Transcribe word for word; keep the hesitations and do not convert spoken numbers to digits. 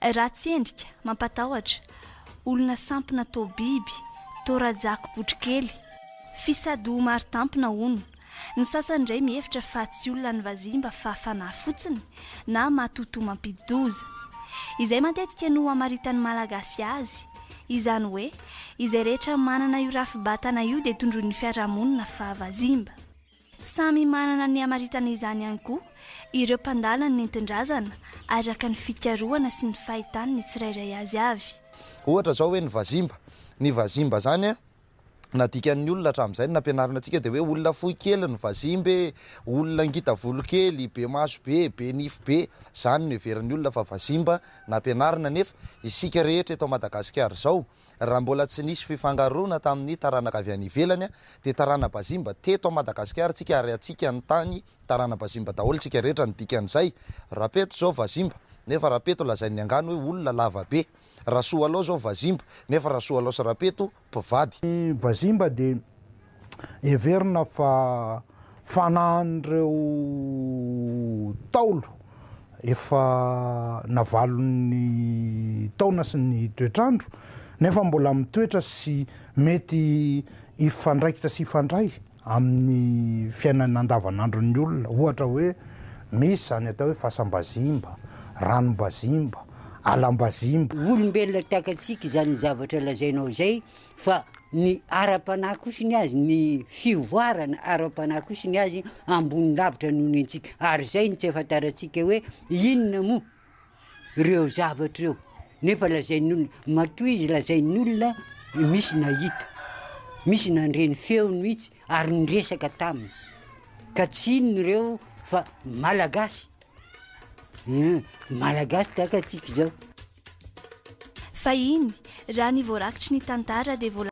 Ratsy endrika, mampatahotra, olona sampona toa biby, toa rajako botrokely, fisado maro tampona hono. Ny sasany indray mihevitra fa tsy olona ny vazimba fa fanahy fotsiny na matotoa mampidi-doza. Izay matetika no amaritan'ny Malagasy azy. Izany hoe izay rehetra manana io rafi-batana io dia tondroin'ny fiarahamonina fa vazimba. Samy manana ny amaritana izany ihany koa ireo mpandala ny nentin-drazana, araka ny fikarohana sy ny fahitany ny tsirairay azy avy. Ohatra zao hoe ny vazimba, ny vazimba zany a, nadikan'ny olona hatramin'izay ny nampianarina antsika dia hoe olona fohy kely ny vazimba e, olona ngita volo kely, be maso be, be nify be, zany no heverin'ny olona fa vazimba nampianarina. Nefa isika rehetra eto Madagasikara zao, raha mbola tsy nisy fifangaroana tamin'ny taranaka avy any ivelany a, dia tarana-bazimba teto Madagasikara tsika, ary atsika ny tany tarana-bazimba daholo tsika rehetra. Ny dikan'izay, Rapeto zao vazimba, nefa Rapeto lazain'ny angano hoe olona lava be. Rasoalao zao vazimba, nefa Rasoalao sy Rapeto mpivady. Ny vazimba dia heverina fa fanahin'ireo taolo efa navalon'ny taona sy ny toetrandro, nefa mbola mitoetra sy mety hifandraikitra sy hifandray amin'ny fiainana andavanandron'ny olona. Ohatra hoe misy zany atao hoe fasam-bazimba, ranom-bazimba, alam-bazimba. Olombelona takatsika zany zavatra lazainao zay, fa ny ara-panahy kosa ny azy, ny fivoarana ara-panahy kosa ny azy ambony lavitra noho ny antsika, ary zay ny tsy ahafantarantsika hoe inona moa ireo zavatra ireo, nefa lazain'ny olona matoa izy, lazain'ny olona misy nahita, misy nandre ny feony mihitsy ary niresaka taminy, ka tsy inona ireo fa Malagasy, Malagasy takatsika zao. Fahiny, raha ny voarakitry ny tantara dia vola